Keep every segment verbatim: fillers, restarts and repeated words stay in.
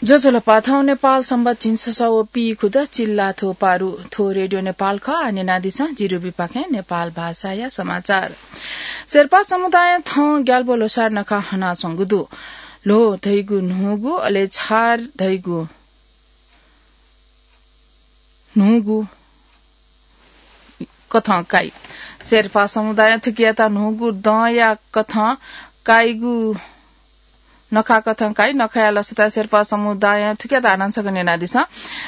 ज्वजलपा, थौं नेपाल संवत झिंछसः व पीखुदँ चिल्लाथ्व पारु। थ्व रेडियो नेपाल खः। आः न्यनादिसँ जिरुबिपाखें नेपाल भाषाया समाचार। शेर्पा समुदायं थौं ग्याल्बो ल्होसार नखा हनाच्वंगु दु। ल्हो धइगु न्हूगु, अले छार धइगु न्हूगु कथं काइ। शेर्पा समुदायं थुकियात न्हूगु दँया कथं काइगु नखा कथं काइ। नखाया लसताय् शेर्पा समुदायं थुकियात हानं छकः न्यनादिसँ।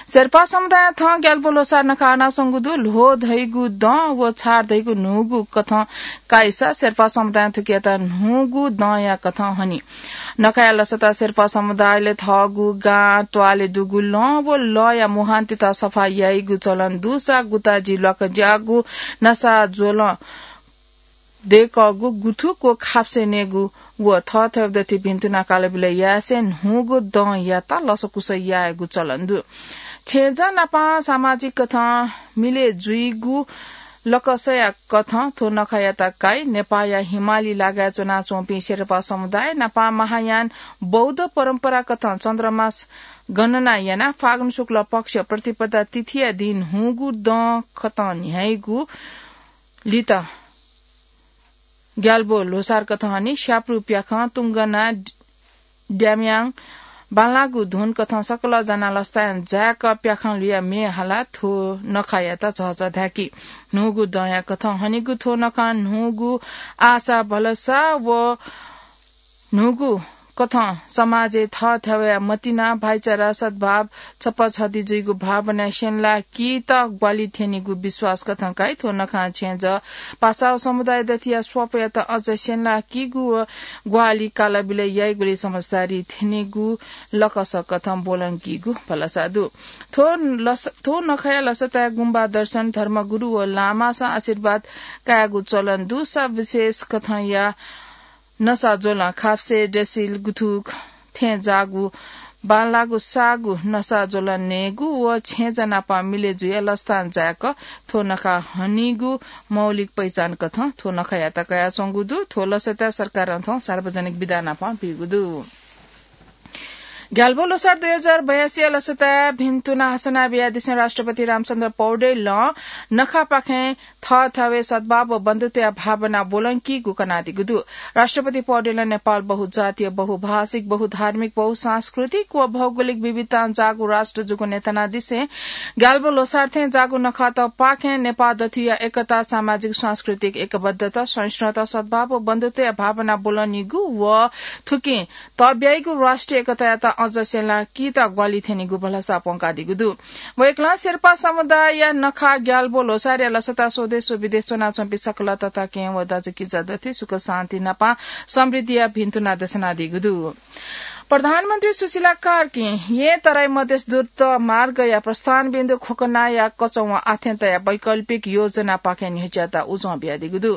शेर्पा समुदायं थौं ग्याल्बो ल्होसार नखा हनाच्वंगु दु। ल्हो धइगु दँ व छार धइगु न्हूगु कथं काइसा शेर्पा समुदायं थुकियात न्हूगु दँया कथं हनी। नखाया लसताय् शेर्पा समुदायले थःगु गां, त्वालय् दुगु लँ व लःया मुहानतित सफा याइगु चलन दुसा गुताजि ल्वाकज्याःगु नसा ज्वलं दय्कःगु गुथुक व खाप्से नयेगु व थःथवय् दथुइ भिन्तुना कालबिलय् यासें न्हूगु दँयात लसकुस यायेगु चलन दु। छेँजः नापं सामाजिक कथं मिलय् जुइगु लकसया कथं थ्व नखायात काइ। नेपाःया हिमाली लागाय् च्वनाच्वंपिं शेर्पा समुदाय नापं महायान बौद्ध परम्परा कथं चन्द्रमास गणना यानाः फागुन शुक्ल पक्ष प्रतिपदा तिथिया दिं न्हूगु दँ कथं न्ह्याइगु लित ग्याल्बो ल्होसार कथं हनी। स्याप्रु प्याखं तुंगना, ड्याम्याङ, बांलाःगु धुन कथं सकल जानाः लसताय् जाय्क प्याखं लुयाः म्ये हालाः थ्व नखायात झःझः धाय्की। न्हूगु दँया कथं हनीगु थ्व नखं न्हूगु आशा भलसा व न्हूगु कथं समाजय् थःथवय् मतिना, भाइचारा, सद्भाव, छप्पा छधि जुइगु भावनाय् स्यनेलाः कीत ग्वाहालि थ्यनीगु विश्वास कथं काइ। थ्व नखं छेँजः पासा व समुदाय दथुया स्वापयात अझ स्यनेलाः कीगु व ग्वाहालि कालबिलय् याइगुलिइ समझदारी थ्यनीगु लकस कथं ब्वलंकीगु भलसा दु। थ्व लस-, थ्व नखाया लसताय् गुम्बा दर्शन, धर्मगुरु व लामासं आशीर्वाद कायेगु चलन दुसा विशेष कथंया नसा ज्वलं खाप्से, ड्रेसिल, गुथुक थें जाःगु बांलाःगु साःगु नसा ज्वलं नयेगु व छेँजः नापं मिलय् जुयाः लसतां जाय्क थ्व नखा हनीगु मौलिक पहिचान कथं थ्व नखायात कयाच्वंगु दु। थ्व लसताय् सरकारं थौं सार्वजनिक बिदा नापं बीगु दु। ग्याल्बो ल्होसार दुई हजार बयासीया लसताय् भिन्तुना हसना बियादिसें राष्ट्रपति रामचन्द्र पौडेलं नखापाखें थःथवय् सद्भाव व बन्धुत्वया भावना ब्वलंकीगु कनादीगु दु। राष्ट्रपति पौडेलं नेपाल बहुजातीय, बहुभाषिक, बहुधार्मिक, बहुसांस्कृतिक व भौगोलिक विविधतां जाःगु राष्ट्र जूगु न्ह्यथनादिसें ग्याल्बो ल्होसार थें जाःगु नखातपाखें नेपाः दथुया एकता, सामाजिक सांस्कृतिक एकबद्धता, सहिष्णुता, सद्भाव व बन्धुत्वया भावना ब्वलनीगु व थुकिं तःब्याइगु राष्ट्रिय एकतायात अझ स्यनेलाः कीत ग्वाहालि थ्यनीगु भलसा प्वंकादीगु दु। वय्कलं शेर्पा समुदायया नखः ग्याल्बो ल्होसारया लसताय् स्वदेश व विदेश च्वनाच्वंपिं सकल तताकेहेँ व दाजुकिजा दथुइ सुख शान्ति नापं समृद्धिया भिन्तुना दछानादीगु दु। प्रधानमन्त्री सुशीला कार्कीं येँ तराई मधेस द्रुत मार्गया प्रस्थानबिन्दु ख्वकनाया कचौंया आथें तयाः वैकल्पिक योजनापाखें न्ह्यज्याःत उजं बियादीगु दु।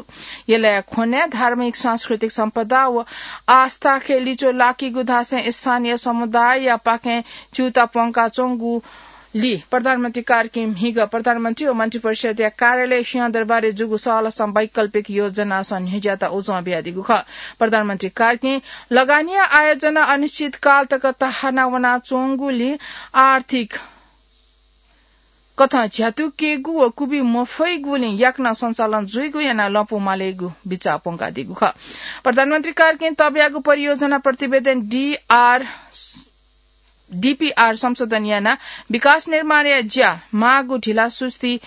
यलया ख्वनाय् धार्मिक सांस्कृतिक सम्पदा व आस्थाखे लिच्वः लाकीगु धासें स्थानीय समुदाययापाखें च्यूताः प्वंकाच्वंगुलिइ प्रधानमन्त्री कार्कीं म्हिगः प्रधानमन्त्री व मन्त्रिपरिषदया कार्यालय सिंहदरबारय् जूगु सहलसं वैकल्पिक योजनासं न्ह्यज्याःत उजं बियादीगु खः। प्रधानमन्त्री कार्कीं लगानीया आयोजना अनिश्चितकाल तक तहाना वनाच्वंगुलिं आर्थिक कथं झ्यातुकेगु व कुबी मफइगुलिं याकनं सञ्चालन जुइगु यानाः लँपु मालेगु बिचाः प्वंकादीगु खः। प्रधानमन्त्री कार्कीं तःब्यागु परियोजना प्रतिवेदन डीआर, डीपीआर संशोधन यानाः विकास निर्माणया ज्या म्वाःगु ढिलासुस्ती,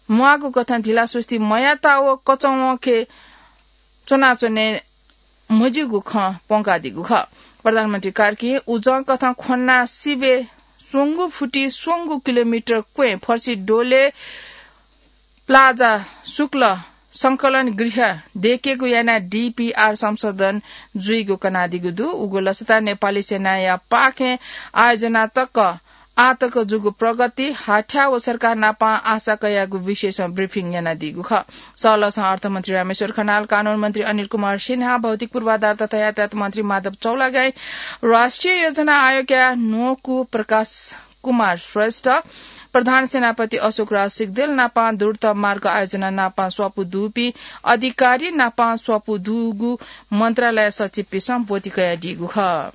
म्वाःगु कथं ढिलासुस्ती मयात व कचौंखे च्वनाच्वने मज्यूगु खँ प्वंकादीगु खः। प्रधानमन्त्री कार्कीं उजं कथं ख्वना सिबय् स्वंगू फुटि स्वंगू किलोमिटर क्वँय् फर्सी डोले प्लाजा शुक्ल संकलन गृह दयेकेगु यानाः डीपीआर संशोधन जुइगु कनादीगु दु। उगु लसताय् नेपाली सेनायापाखें आयोजना तक आःतक जूगु प्रगति, हाथ्याः व सरकार नाप आशा कयागु विषयसं ब्रिफिङ यानादीगु खः। सहलसं अर्थमन्त्री रामेश्वर खनाल, कानून मन्त्री अनिल कुमार सिन्हा, भौतिक पूर्वाधार तथा यातायात मन्त्री माधव चौलागाई, राष्ट्रिय योजना आयोगया न्वकू प्रकाश कुमार श्रेष्ठ, प्रधान सेनापति अशोक राज सिग्देल नाप द्रुत मार्ग आयोजना नाप स्वापू दुपिं अधिकारी नाप स्वापू दुगु मन्त्रालय सचिवपिसं ब्वति कयादीगु खः।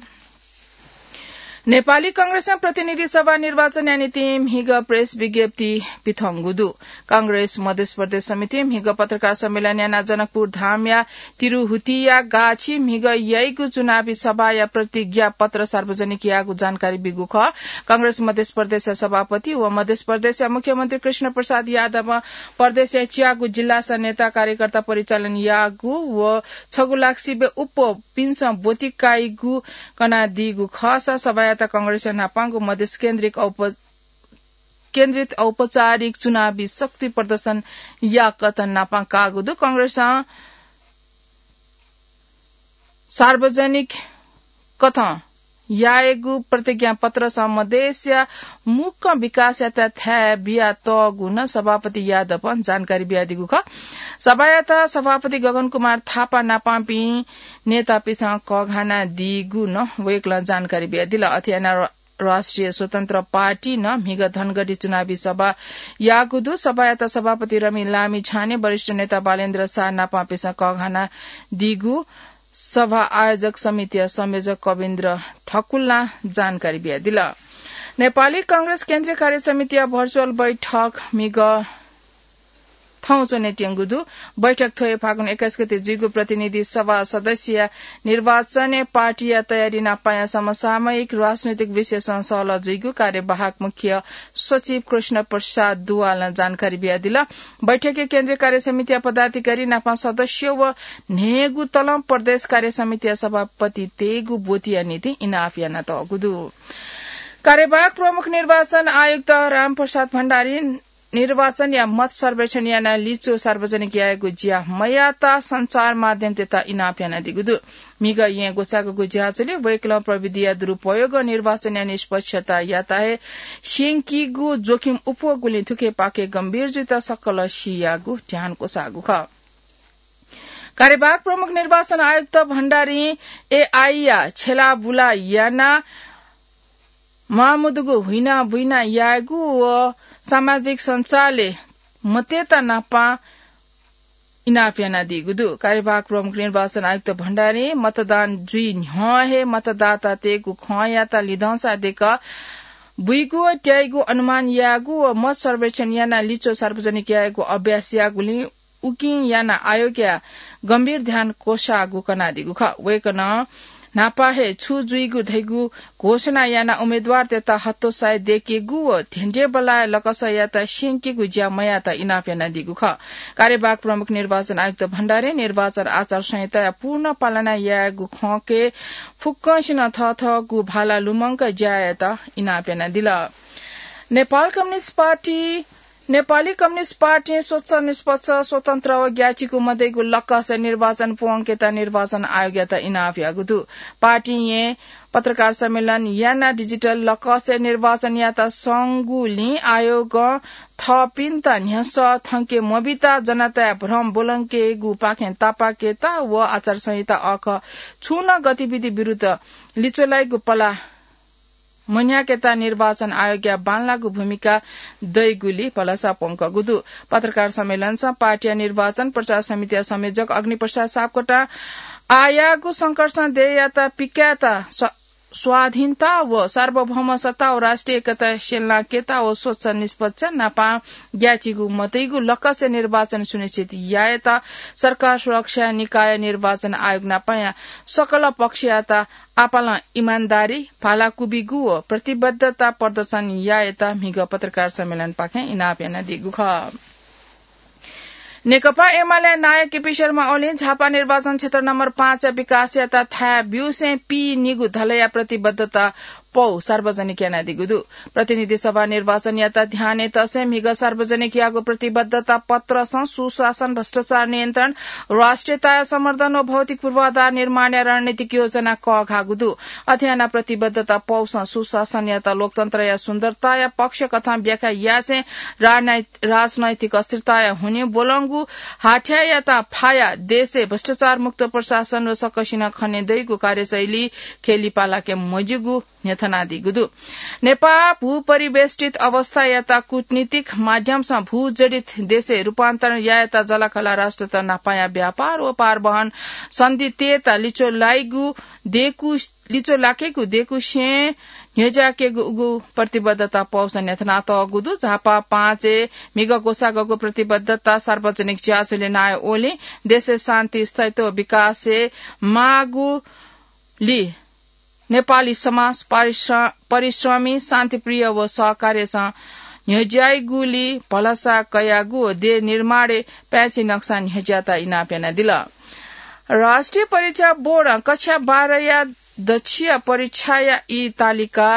नेपाली कांग्रेसं प्रतिनिधि सभा निर्वाचनया निंतिं म्हिगः प्रेस विज्ञप्ति पिथंगु दु। कांग्रेस मधेस प्रदेश समितिं म्हिगः पत्रकार सम्मेलन यानाः जनकपुर धामया तिरुहुतिया गाछि म्हिगः याइगु चुनावी सभाया प्रतिज्ञा पत्र सार्वजनिक याःगु जानकारी बीगु खः। कांग्रेस मधेस प्रदेशया सभापति व मधेस प्रदेशया मुख्यमन्त्री कृष्ण प्रसाद यादवं प्रदेशया च्यागू जिल्लास नेता कार्यकर्ता परिचालन याःगु व छगू लाख सिबें उप्वःपिन्सं ब्वति काइगु कनादीगु खःसा सभायात कांग्रेसया न्हापांगु मधेस केन्द्रिक औप-, केन्द्रित औपचारिक चुनावी शक्ति प्रदर्शन याकथं न्हापां काःगु दु। कांग्रेसं सार्वजनिक कथं यायेगु प्रतिज्ञा पत्रसं मधेसया मुक्कं विकासयात थाय् बियातःगु नं सभापति यादवं जानकारी बियादीगु खः। सभायात सभापति गगन कुमार थापा नापांपिं नेतापिसं कःघानादीगु नं वय्कलं जानकारी बियादिल। अथे यानाः राष्ट्रिय स्वतन्त्र पार्टी नं म्हिगः धनगढी चुनावी सभा याःगु दु। सभायात सभापति रमि लामिछाने, वरिष्ठ नेता बालेन्द्र शाह नापांपिसं कःघानादीगु सभा आयोजक समितिया संयोजक कविन्द्र ठकुल्लां जानकारी बियादिल। नेपाली कांग्रेस केन्द्रीय कार्य समितिया भर्चुअल बैठक म्हिगः थौं च्वनेत्यंगु दु। बैठक थ्व हे फागुन एक्काइस गते जुइगु प्रतिनिधि सभा सदस्यया निर्वाचनय् पार्टीया तयारी नापांया समसामयिक राजनैतिक विषयसं सहलह जुइगु कार्यवाहक मुख्य सचिव कृष्ण प्रसाद दुवालं जानकारी बियादिल। बैठकय् केन्द्रीय कार्य समितिया पदाधिकारी नापं सदस्य व न्हय्गू तलं प्रदेश कार्य समितिया सभापति तयेगु ब्वतिया निंतिं इनाप यानातःगु दु। कार्यवाहक प्रमुख निर्वाचन आयुक्त रामप्रसाद भण्डारी निर्वाचनया मत सर्वेक्षण यानाः लिच्वः सार्वजनिक यायेगु ज्या मयाःत सञ्चार माध्यमतय्त इनाप यानादीगु दु। म्हिगः येँ ग्वसाःगु ज्याझ्वलय् वय्कलं प्रविधिया दुरुपयोग, निर्वाचनया निष्पक्षतायात हे स्यंकीगु जोखिम उप्वःगुलिं थुकिपाखे गम्भीर जुइत सकल सियागु ध्यान क्वसाःगु खः। कार्यवाहक प्रमुख निर्वाचन आयुक्त भण्डारीं एआईया छेलाबुला यानाः म्वाःमदुगु हुइनाबुइना यायेगु व सामाजिक सञ्चारय् मतय्त नापं इनाप यानादीगु दु। कार्यवाहक प्रमुख निर्वाचन आयुक्त भण्डारीं मतदान जुइ न्ह्यः हे मतदातातय्गु खँयात लिधंसा देकः बुइगु व त्याइगु अनुमान यायेगु व मत सर्वेक्षण यानाः लिच्वः सार्वजनिक यायेगु अभ्यास याःगुलिं उकिं यानाः आयोगया गम्भीर ध्यान क्वसाःगु कनादीगु खः। वय्कलं न्हापा हे छु जुइगु धइगु घोषणा यानाः उम्मेदवारतय्त हतोत्साह दयेकेगु व धेंधेंबल्लाया लकसयात स्यंकीगु ज्या मयाःत इनाप यानादीगु खः। कार्यवाहक प्रमुख निर्वाचन आयुक्त भण्डारीं निर्वाचन आचार संहिताया पूर्ण पालना यायेगु खँके फुक्कसिनं थःथःगु भाला लुमंक ज्या यायेत इनाप यानादिल। नेपाल कम्युनिस्ट पार्टी नेपाली कम्युनिस्ट पार्टीं स्वच्छ, निष्पक्ष, स्वतन्त्र व ग्याःचिकु मदइगु लकसय् निर्वाचन प्वंकेत निर्वाचन आयोगयात इनाप याःगु दु। पार्टीं येँ पत्रकार सम्मेलन यानाः डिजिटल लकसय् निर्वाचन यात संगुलिं आयोगं थःपिन्त न्ह्यसः थ्यंके मबित, जनताय् भ्रम ब्वलंकेगुपाखें तापाकेत व आचार संहिता अःखः छुं नं गतिविधि विरुद्ध लिच्वः लाइगु पला मन्ह्याकेत निर्वाचन आयोगया बांलाःगु भूमिका दइगुलि भलसा प्वंकूगु दु। पत्रकार सम्मेलनसं पार्टीया निर्वाचन प्रचार समितिया संयोजक अग्निप्रसाद सापकोटां आःयाःगु संकटसं देय्‌यात पिकायेत स-, स्वाधीनता व सार्वभौम सत्ता व राष्ट्रिय एकता स्यनाकेत व स्वच्छ निष्पक्ष नापं ग्याःचिकु मतइगु लकसय् निर्वाचन सुनिश्चित यायेत सरकार सुरक्षा निकाय निर्वाचन आयोग नापंया सकल पक्षयात आपालं इमानदारी, भालाकुबिगु व प्रतिबद्धता प्रदर्शन यायेत म्हिगः पत्रकार सम्मेलनपाखें इनाप यानादीगु खः। नेकपा एमाले नायः केपी शर्मा ओलीं झापा निर्वाचन क्षेत्र नम्बर पाँचया विकासयात थाय् ब्यूसें पीनिगू धलया प्रतिबद्धता पौ सार्वजनिक यानादीगु दु। प्रतिनिधि सभा निर्वाचनयात ध्यानय् तसें म्हिगः सार्वजनिक याःगु प्रतिबद्धता पत्रसं सुशासन, भ्रष्टाचार नियन्त्रण, राष्ट्रियताया संवर्धन व भौतिक पूर्वाधार निर्माणया रणनीतिक योजना कःघाःगु दु। अथे यानाः प्रतिबद्धता पौसं सुशासनयात लोकतन्त्रया सुन्दरताया पक्ष कथं व्याख्या यासें राजनैत-, राजनैतिक अस्थिरताया हुनिं ब्वलंगु हाथ्यायात फायाः देशय् भ्रष्टाचार मुक्त प्रशासन व सकसिनं खने दइगु कार्यशैली ख्यलि पालाके मज्यूगु न्ह्यथनादीगु दु। नेपाः भूपरिवेष्टित अवस्थायात कूटनीतिक माध्यमसं भूजडित देशय् रूपान्तरण यायेत जःलाखःला राष्ट्रत न्हापांया व्यापार व पारवहन सन्धितय्त लिच्वः लाइगु देकु, लिच्वः लाकेगु देकुसें न्ह्यज्याकेगु उगु प्रतिबद्धता पौसं न्ह्यथनातःगु दु। झापा पाँचय् म्हिगः ग्वसाःगःगु प्रतिबद्धता सार्वजनिक ज्याझ्वलय् नायः ओलीं देशय् शान्ति, स्थायित्व व विकासय् माःगुलि नेपाली समाज परिश्र-, परिश्रमी, शान्तिप्रिय व सहकार्यसं न्ह्यज्याइगुलि भलसा कयागु व देय् निर्माणय् पाय्छि नक्सा न्ह्यज्यात इनाप यानादिल। राष्ट्रिय परीक्षा बोर्डं कक्षा बाह्रया दछिया परीक्षाया ई तालिका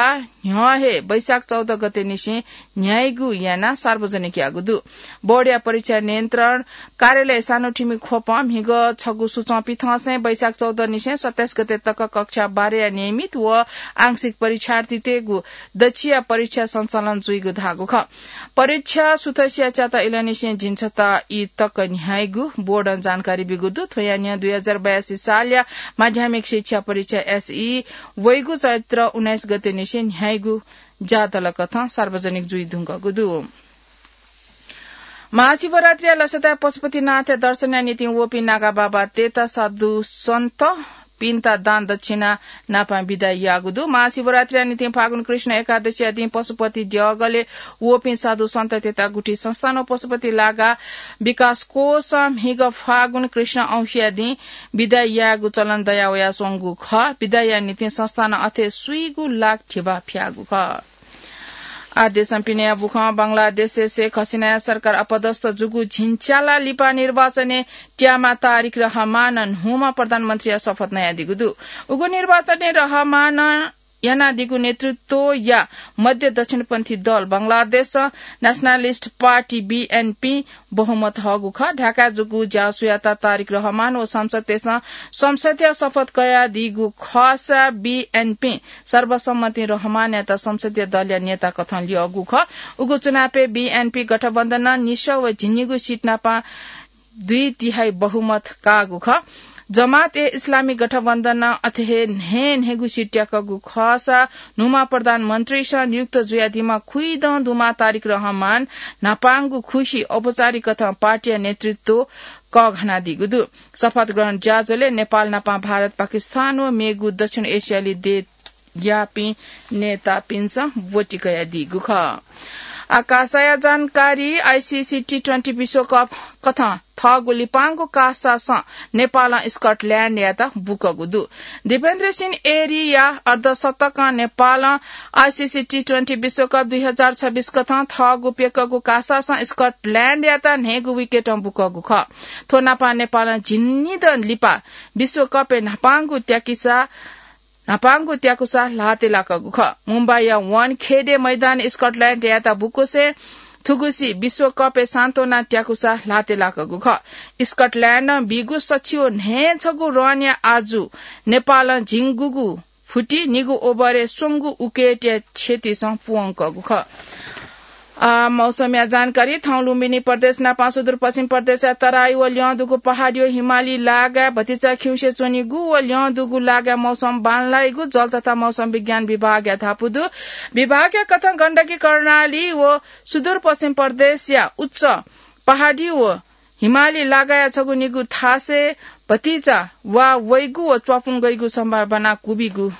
न्ह्यः हे वैशाख चौध गते निसें न्ह्याइगु यानाः सार्वजनिक याःगु दु। बोर्डया परीक्षा नियन्त्रण कार्यालय सानोठिमी ख्वपं म्हिगः छगू सूचं पिथंसें वैशाख चौध निसें सत्ताइस गते तक कक्षा बाह्रया नियमित व आंशिक परीक्षार्थीतय्गु दछिया परीक्षा सञ्चालन जुइगु धाःगु खः। परीक्षा सुथसिया च्याता इलंनिसें झिंछता ई तक न्ह्याइगु बोर्डं जानकारी ब्यूगु दु। थ्वया न्ह्यः दुई हजार बयासी सालया माध्यमिक शिक्षा परीक्षा एसई वइगु चैत्र उन्नाइस गते निसें न्ह्याइगु ज्यादल कथं सार्वजनिक जुइ धुंकूगु दु। महाशिवरात्रिया लसताय् पशुपतिनाथया दर्शनया निंतिं वःपिं नागा बाबातय्त साधु सन्त पिन्त दान दक्षिणा नापं बिदा याःगु दु। महाशिवरात्रिया निंतिं फागुन कृष्ण एकादशीया दिं पशुपति देगलय् वःपिं साधु सन्ततय्त गुठी संस्थानं पशुपति लागा विकास कोषं म्हिगः फागुन कृष्ण औंसीया दिं बिदा यायेगु चलन दयावयाच्वंगु खः। बिदाया निंतिं संस्थानं अथे स्वीगू लाख धिबा फ्याःगु खः। आ देशं पिनेया बुखं बंगलादेशय् शेख हसिनाया सरकार अपदस्थ जूगु झिंच्याला लिपा निर्वाचनय् त्यामा तारिक रहमानं न्हूम्ह प्रधानमन्त्रीया शपथ नयादीगु दु। उगु निर्वाचनय् रहमानं यानादीगु नेतृत्वया मध्य दक्षिणपन्थी दल बंगलादेश न्यासनालिस्ट पार्टी, बीएनपी, बहुमत हःगु खः। ढाकाय् जूगु ज्यासुयात तारिक रहमान व संसदय्सं संसदीय शपथ कयादीगु खःसा बीएनपी सर्वसम्मतिं रहमानयात संसदीय दलया नेता कथं ल्यःगु खः। उगु चुनावय् बीएनपी गठबन्धनं निसः व झिंनिगू सिट नापं दुई तिहाई बहुमत काःगु खः। जमात ए इस्लामी गठबन्धनं अथे हे न्हय् न्हय्गू सिट त्याकःगु खःसा न्हूम्ह प्रधानमन्त्रीसं नियुक्त जुयादीम्ह खुइदँ दुम्ह तारिक रहमान न्हापांगु खुसि औपचारिक कथं पार्टीया नेतृत्व कःघानादीगु दु। शपथ ग्रहण ज्याझ्वलय् नेपाल नापं भारत, पाकिस्तान व मेगु दक्षिण एसियाली देशयापिं नेतापिन्सं ब्वति कयादीगु खः। आ कासाया जानकारी। आईसीसी टी ट्वेन्टी विश्वकप कथं थःगु लिपांगु कासासं नेपालं स्कटल्याण्डयात बुकःगु दु। दिपेन्द्र सिंह एरीया अर्धशतकं नेपालं आईसीसी टी ट्वेन्टी विश्वकप दुई हजार छब्बीस कथं थःगु प्यकःगु कासासं स्कटल्याण्डयात न्हय्गू विकेटं बुकःगु खः। थ्व नापं नेपालं झिंनिदँ लिपा विश्वकपय् न्हापांगु त्याकिसा न्हापांगु त्याकुसा ल्हातय् लाकःगु खः। मुम्बईया वानखेडे मैदानय् स्कटल्याण्डयात बुकुसें थुगुसी विश्वकपय् सान्त्वना त्याकुसा ल्हातय् लाकःगु खः। स्कटल्याण्डं बीगु सछि व न्हय् छगू रनया आजु नेपालं झिंगूगु फुति निगू ओभरय् स्वंगू उकेटया क्षतिसं पुवंकःगु खः। आ, मौसमया जानकारी। थौं लुम्बिनी प्रदेश नापं सुदूरपश्चिम प्रदेशया तराई व ल्यं दुगु पहाडी व हिमाली लागाय् भतिचा खिउँसे च्वनीगु व ल्यं दुगु लागाय् मौसम बांलाइगु जल तथा मौसम विज्ञान विभागया धापू दु। विभागया कथं गण्डकी कर्णाली व सुदूरपश्चिम प्रदेशया उच्च पहाडी व हिमाली लागाया छगू निगू थासय् भतिचा वा वइगु व च्वापुंगइगु सम्भावना क्वबिगु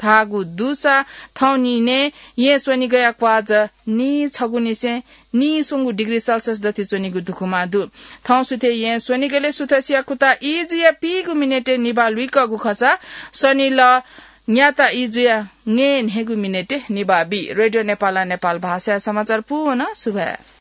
धाःगु दुसा थौं निनय् येँ स्वनिगया क्वाज नीछगुनिसें नीस्वंगू डिग्री सेल्सियस दथि च्वनीगु दुखुमा दु। थौं सुथय् येँ स्वनिगलय् सुथसिया कुता ई जुया पीगु मिनेटय् निभाः लुइकःगु खःसा स्वनिलः न्याता ई जुया न्हय् न्हय्गू मिनेटय् निभाः बी। रेडियो नेपालं नेपाल भाषाया समाचार पूवन सुभाय्।